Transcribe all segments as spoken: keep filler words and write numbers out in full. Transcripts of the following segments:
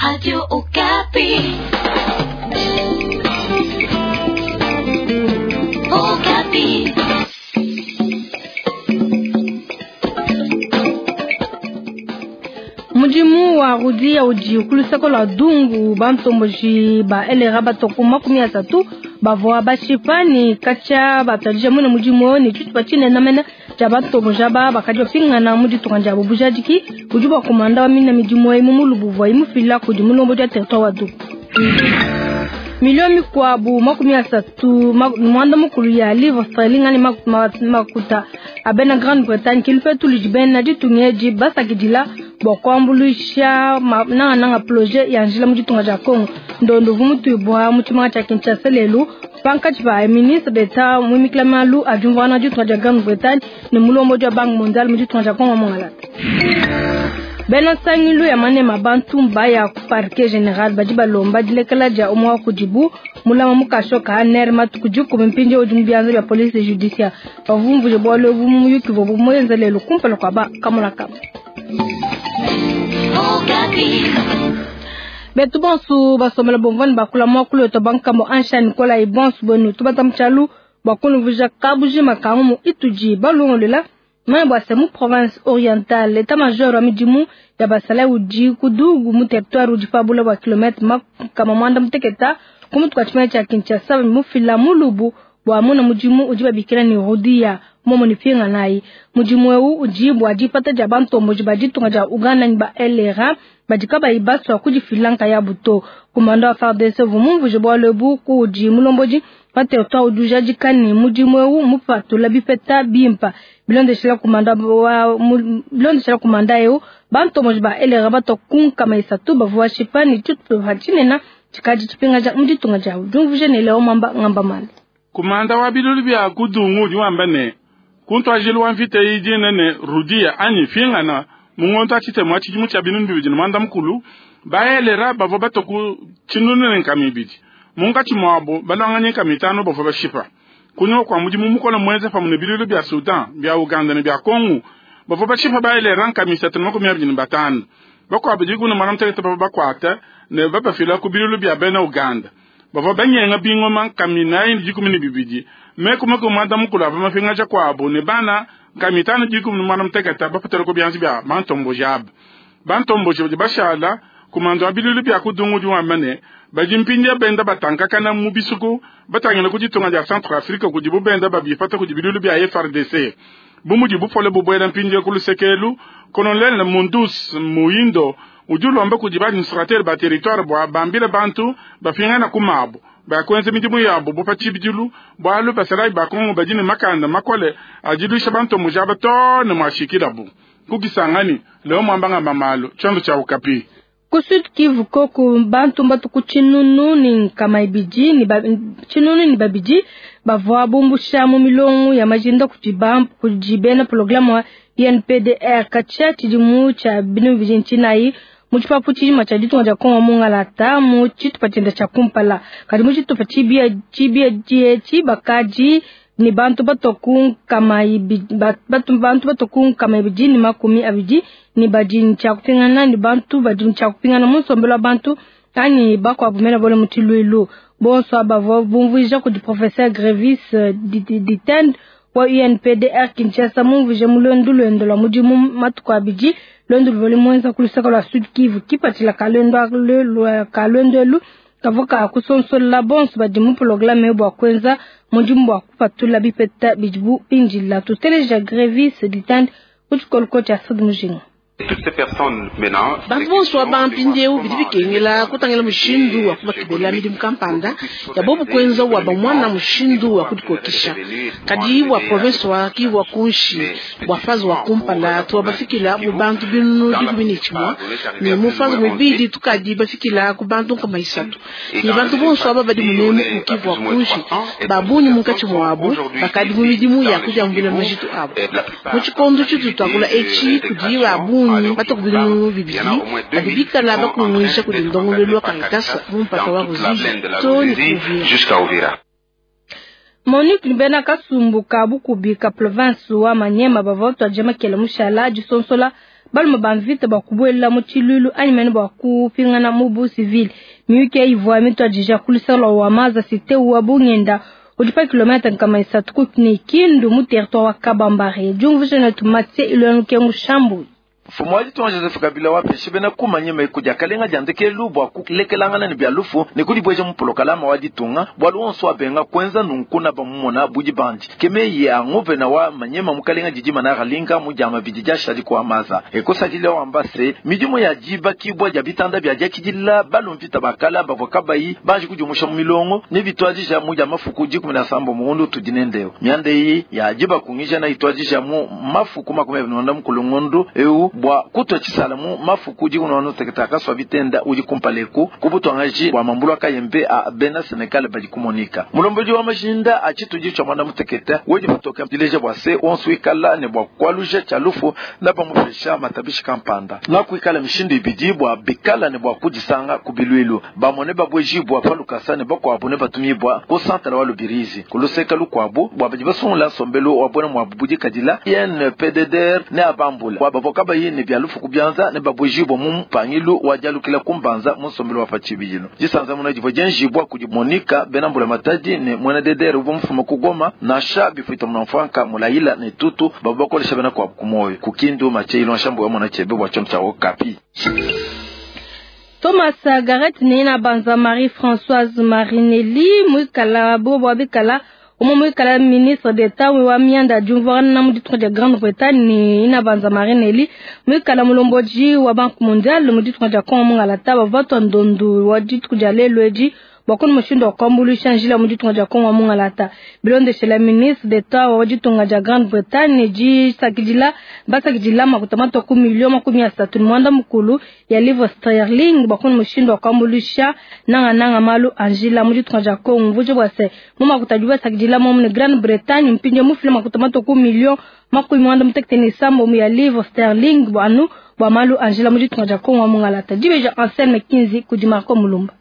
Radio Okapi. Okapi. Mudimu wa rudia udi ku luseke lua dungu bantomboji ba elera batoko makumi asatu bavua bashipa ne katshia batuadija mune mudimu ne tshitupa tshinene mene tshia bantomboji aba bakadi bapingana mu ditunga diabu. Bujadiki budi bua komanda wa mina midimu eyi mu mulubu uvua imufila kudi mulombodi wa territoire wa Dungu. Milio mikuabu makumi asatu muanda mukulu ya livre sterling ani makuta a bena Grande Bretagne kilupetu ludi bena ditunga edi basakidila bua kuambuluisha nangananga projet ya njila mu ditunga dia Congo. Ndondo uvua mutuibua mu tshimenga tshia Kinshasa lelu pankatshi pa ministre d'Etat muimikila malu a diumvuangana ditunga dia Grande Bretagne ne mulombodi wa Banque mondiale mu ditunga dia Congo Mongalata. Bena nsangilu ya manema bantu mbaya ku parquet general badi balomba dilekela dia umwe wa kudibu mulama mukasho ka A N R matuku dikumi mpindieu udi mu bianza bia police judiciaire. Bavumvuje bualu ebu mu muyuki uvuabu muenze lelu kumpala kua ba kamona-kama. Betu bonsu basomela bomvani bakula muakulu wetu bankambo ansha Nicolas bonsu bwenu tubata mutshialu bua kunuvuija kabujima ka ngumu itudi balongolola. Mane bua se mu province orientale l'état major wa midimu ya basala udi kudugu mu territoire udi pabula bua kilomètre makama muanda muteketa ku mutu kua tshimenga tshia Kinshasa mufila mulubu bua muna mudimu udi babikila ne rudia momo ne pinga nayi. Mudimu eu udi bua dipata dia bantomboji ba ditunga dia Uganda ne ba L R A badi kabayi basua kudifila nkayabu to. Komanda wa F A R D C uvua mumvuje bualu ebu kudi mulombodi wa territoire udi ujadika ne mudimu eu mupatula bipeta bimpa. Bilondeshela kumanda wa bilondeshela kumanda eu bantomboji ba L R A batokunkama isatu bavua bashipa ne tshitupa tshinene tshikadi tshipingaja mu ditunga diabu. Diumvuje ne Leo Mwamba ngamba mali. Kumanda wa bilulu bia kudungu udi wamba ne kuntwajilu wa mvita iyi dinene rudia anyi fingana mungonto atshitema tshidimu tshia binunu bibidi ne muanda mukulu baelera bavua batoku tshinunu ne nkama ibidi munkatshi muabu balonganya nkama itanu bavua bashipa kunyima kua mudimu mukola muenza pamue ne bilulu bia Sudan bia Uganda ne bia Congo bavua bashipa baelera nkama isatu ne makumi abidi ne batanu bakuabu dikumi ne muanda mutekete bavua bakuata ne babafila ku bilulu bia bena Uganda bavua banyenga bingoma nkama inayi ne dikumi ne bibidi meku makumi muanda mukulu avua mapingaja kuabu ne bana nkama itanu dikumi ne muanda mutekete bapetela ku bianza bia bantomboji aba. Bantomboji badi bashala kumando wa bilulu bia kudungu udi wamba ne badi mpindieu benda batankakana mu bisuku batangila ku ditunga dia Centrafrique kudibu benda babipata kudi bilulu bia F R D C. Bu mudi bupole bubuela mpindieu ku lusekelu Colonel Mundus Muindo udi ulomba kudi ba administrateur ba territoire bua bambile bantu bapingana ku mabu bakuenza midimu yabu bu pa tshibidilu bualu basalayi ba Kongo badi ne makanda makole adiluisha bantomboji aba too ne muashikilabu. Kukisangani Leo Mwamba ngamba malu tshiondo tshia Okapi. Ku Sud Kivu koku bantu mbatuku tshinunu ne nkama ibidi ne ba, tshinunu ne babidi bavua bumbusha mu milongo ya majinda kudi ba, kudi bena programme wa I N P D R katshia tshidimu tshia binu bibidi ntshinayi mu tshipapu tshijima tshia ditunga dia Kongo Mongalata mu tshitupa tshienda tshia kumpala. Kadi mu tshitupa tshibia, tshibia dietshi bakadi ne bantu batoku nkama ibidi, batu, bantu batoku nkama ibidi ne makumi abidi ne badi tshia kupingana ne bantu badi tshia kupingana mu nsombelu wa bantu anyi bakuabu mena bole mu tshiluilu. Bonso aba bavua bumvuija kudi professeur Grevis Ditende wa U N P D R Kinshasa mumvuije mu luendu luende lua mudimu matuku abidi luendu luvua lumuenza ku luseke lua Sud Kivu. Kipatshila ka luendu elu kavua ka kusonsola bonso badi mu programme bua kuenza mudimu bua kupatula bipeta bidibu bindila. Tuteleja Grevis Ditende ku tshikoloko tshia Sud Mujinga. Bantu bonso aba mpindieu bidi bikengela kutangila mushindu wa kubakebela midimu kampanda ya bobu kuenza wa bamwana mushindu wa kudikokesha. Kadi bua province wa Kivu wa kunshi bua fazi wa kumpala tuwa bafikila mu bantu binunu dikumi ne tshimua ne mu fazi muibidi tukadi bafikila ku bantu nkama isatu. Ne bantu bonso aba badi munemu mu Kivu wa kunshi babunyi munkatshi muabu bakadi mu midimu ya kudiambuila majitu abu. Mu tshikondo tshitu tuakula etshi kudi babunyi batoku binunu bibidi badi bikala bakunguisha kudi ndongoluelu wa Caritas mu mpata wa Ruzizi to ne ku Uvira. Monique Nibena Kasumbu ka Bukubi ka province wa Maniema bavua batuadija makela mushala disonsola Balume ba mvita bua kubuela mu tshiluilu anyi mene bua kupingana mu bu civil. Miyuki ivua mituadija ku luseke wa Maza cité wa Bungenda udi pa kilomètre nkama isatu ku ne Kindu mu territoire wa Kabambare. Diumvuija netu Mathieu Ilwenu Kengu Shambu. Mfumu wa ditunga Joseph Kabila wapeshe bena kumanya meku dia kalenga dia ndekelu bua kulekelangana ne bia lufu ne kudibweja mu polokalama wa ditunga bwalu onso abenga kwenza nunku na bamumona budi bandi kemeyi ya nguvena wa manyema mukalenga didi manara linga mu diama bidi dia shadi kwa maza ekosadile wamba se midimu ya diba kibwa dia bitanda bia diakidila balumvita bakala bavua kabayi baji kudiumusha mu milongo ne bitwadija mu dia mafuku dikumi na sambo muundu tudinendeo mianda iyi ya diba kungija na itwadija mu mafuku makumi abiri na mukulungundu eu bwa kutwa chisala mu mafuku dikuno wano kaswa bitenda udi kumpaleku kubutwangaji bwa mambulu akayembe a bena Senegal badi kumonika mulomboji wa mashinda achituji cha mwana muteketa wedi butoka dileja bwa se onsu ikala ne bwa kwaluja cha lufu na bamufesha matabishi kampanda na kuikala mishindu ibidi bwa bikala ne bwa kudisanga kubilwilu bamone babweji bwa palukasa ne bakwabu ne batumibwa ku santala wa lubirizi kuluseka lukwabu bwa badi basungula nsombelu wa bwana mwa budi kadila I N P D D R ne abambula bwa bavoka bayi ne bya lufu kubyanza ne babwejibwa mu mpangilu wa jalukila kumbanza mu nsombelu wa pachibijilo jisanza muna jivo jenjibwa kudi Monika bena mbula matadi ne mwena D D R uvo mfuma kugoma nasha bifuita munamfanka mulayila ne tutu babo bakolesha bena kwa kumoyo kukindu macheilo nshambo wa mwana chebe bwa chomcha Okapi. Thomas Garrett ne banza Marie-Françoise Marinelli mwikala bobo abikala umo mwikala ministre d'État wa mianda jumvana mu ditunga dia Grande-Bretagne ni ina banza Marinelli mwikala mulomboji wa Banque mondiale mu ditunga dia Congo mungalata bavatwa ndondu wa ditunga dia lelweji bakoni mushindo wa kwambulisha njila mu ditunga dia Congo mungalata bilondeshela ministre d'État wa ditunga dia Grande-Bretagne jisakidila basakidila makuta ku milio makumi asatu ni mwanda mukulu ya livre sterling bakoni mushindo wa kwambulisha nanga nanga malu anjila mu ditunga dia Congo mvuje bwase mu makuta basakidila mo mu Grande-Bretagne mpinje mufile makuta ku milio makumi mwanda mutekete ni sambo mu ya livre sterling bwanu bwa malu anjila mu ditunga dia Congo mungalata dibeja Anselme Kinzi kudi Marco Mulumba.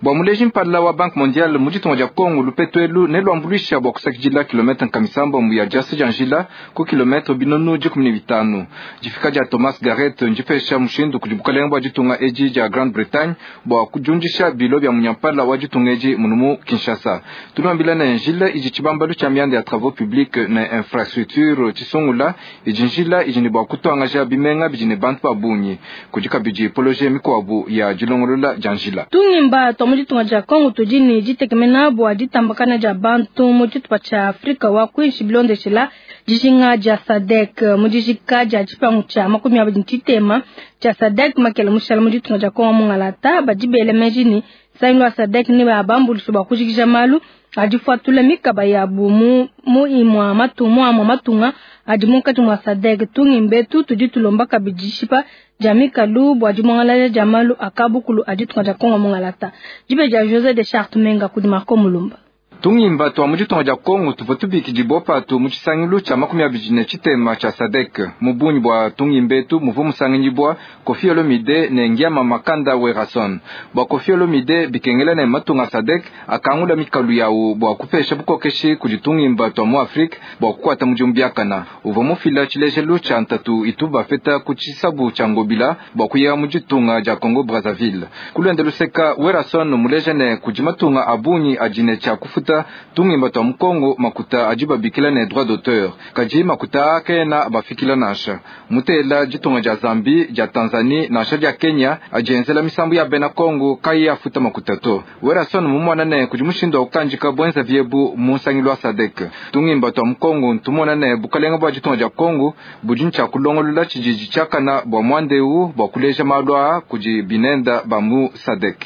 Bwa muleji mpala wa Banque mondiale mu ditunga dia Congo lupetwelu ne lwambuluisha bwa kusakidila kilomètre nkamisambo mu ya diasa dia njila ku kilomètre binunu dikumi ne bitanu. Difika dia Thomas Garrett ndipesha mushindu kudi bukalenga bwa ditunga edi dia Grande-Bretagne bwa kujundisha bilo bya munyampala wa ditunga edi munu Kinshasa. Tulwambila ne njila idi tshibambalu tshia mianda ya travaux publics ne infrastructure tshisungula idi njila idi ne bwa kutwangaja bimenga bidi ne bantu ba bungi kudi kabidi projet mikwabu ya dilongolola dia njila. Tungimba twa mu ditunga dia Congo tudi ne ditekemena bua ditambakana dia bantu mu tshitupa tshia Afrika wa kuinshi bilondeshela dijinga dia SADC mu dijika dia tshipangu tshia makumi abidi ne tshitema tshia SADC makele mushala mu ditunga dia Congo mungalata badi bele meji ne nsangilu wa SADC ne babambulisha bua kujikija malu adifuatula mikaba yabu mu mu imwa matunga amwa matunga adi munkatshi mua SADC. Tungimbetu tudi tulomba kabidi dishipa dia mikalu bua dimuangalala dia malu akabukulu a ditunga dia Congo mungalata. Dibe dia José de Charte Menga kudi Marco Mulumba. Tungimba twa mu ditunga dia Congo tuvua tubikidibwa patu mu tshisangilu tshia makumi abidi ne tshitema tshia SADC. Mu bungi bua tungimbetu muvua musanganyibwa Koffi Olomide ne Ngiama Makanda Werrason. Bua Koffi Olomide bikengela ne matunga SADC akangula mikalu yawu bua kupesha bukokeshi kudi tungimba twa mu Afrika bua kukwata mudimu biakana. Uvua mufila tshilejelu tshia ntatu itu bafeta ku tshisabu tshia Ngobila bua kuya mu ditunga dia Congo Brazzaville. Kulwende luseka Werrason muleja ne kudi matunga a bungi adi ne tshia kufuta tungimba twa mukongo makuta adi babikila ne droit d'auteur kadi makuta akena bafikila nansha mutela ditunga dia Zambie, dia Tanzanie nansha dia Kenya adienzela misambu ya bena Kongo kayi afuta makuta to. Werrason mumona ne kudi mushindu wa kukandika bwenza vyebu mu nsangilu wa SADC. Tungimba twa mukongo ntumona ne bukalenga bua ditunga dia Kongo budi ntshia kulongolola tshididi tshiakana bua mwandeu bua kuleja malu aa kudi binenda ba mu SADC.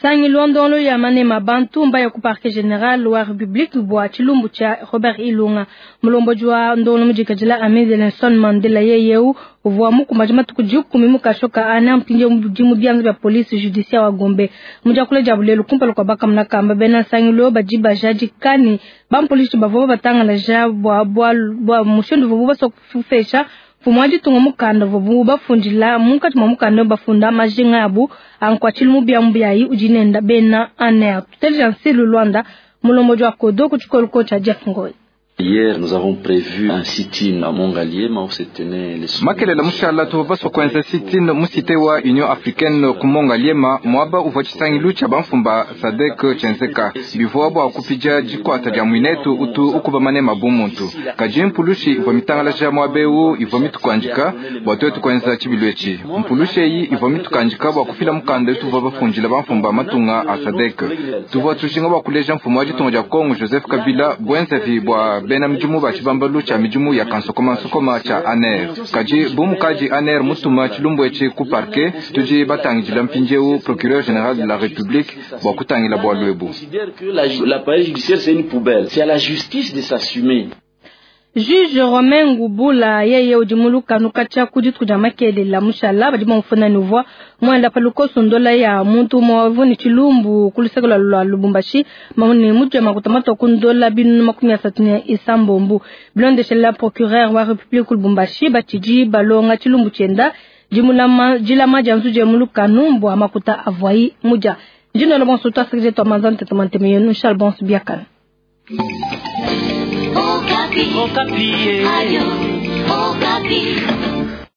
Sangilu ndolo ya manema bantu mbaya ku parquet général wa République bua tshilumbu tshia Robert Ilunga mulomboji wa ndolo mujikajila Amide Nelson Mandela yeyeu uvua mukumbaji matuku dikumi mukashoka ana mpinje mudimu bianza bya police judiciaire wa Gombe mujakula dia bulelu kumpala kwa bakamuna kamba bena sangilu badi bajadikani bampolisi bavua batangalaja bua bua bua mushindu vubu basua kufesha mfumu ditunga mukanda vubu bafundila munkatshi mua mukanda bafunda majinga abu ankuatshile mu biamu biayi udi nenda bena A N R tuteleja nsilu Luanda mulomboji wa kodo ku tshikolo tshia Jeff Ngoi. Hier, nous avons prévu un sit-in à Mont-Ngaliema où se tenait les Makelela mushala tuvua basua kuenza sit-in mu cité wa Union africaine ku Mont-Ngaliema muaba uvua tshisangilu tshia bamfumu ba SADC tshienzeka bivua bua kupidia dikuata dia muinetu utu ukuba manema bu muntu kadi mpulushi ivua mitangalaja muaba ewu ivua mitukuandika bua tuetu kuenza tshibilu etshi mpulushi eyi ivua mitukandika bua kufila mukanda utuvua bafundila bamfumu ba matunga a SADC tuvua tujinga bua kuleja mfumu wa ditunga dia Kongo Joseph Kabila buenzavi bua bena midimu ba tshibambalu tshia midimu ya kansokomansokoma tshia ANR kadi bu mukadi ANR mutuma tshilumbu etshi ku parquet tudi batangidila mpindieu procureur général de la République bua kutangila bualu ebu. Considère que la- l'appareil judiciaire, c'est une poubelle. C'est à la justice de s'assumer. Juge Romain Ngubula yeye udi mu lukanu katshia ku dituku dia makelela mushala badi bamufuna ne uvua muenda pa lukoso ndola ya muntu umue uvua ne tshilumbu ku luseke lua lua Lubumbashi ne mutu ya makuta matua ku ndola binunu makumi asatu ne isambombo bilondeshela procureur wa Republique ku Lubumbashi batshidi balonga tshilumbu tshienda dimulama dilama dia nzuji ya mu lukanu bua makuta avuayi mudia ndinola bonso tuasekije tua manza ntete manteme yenu Charles Bonso biakana. Okapi. Okapi. Ayo, Okapi.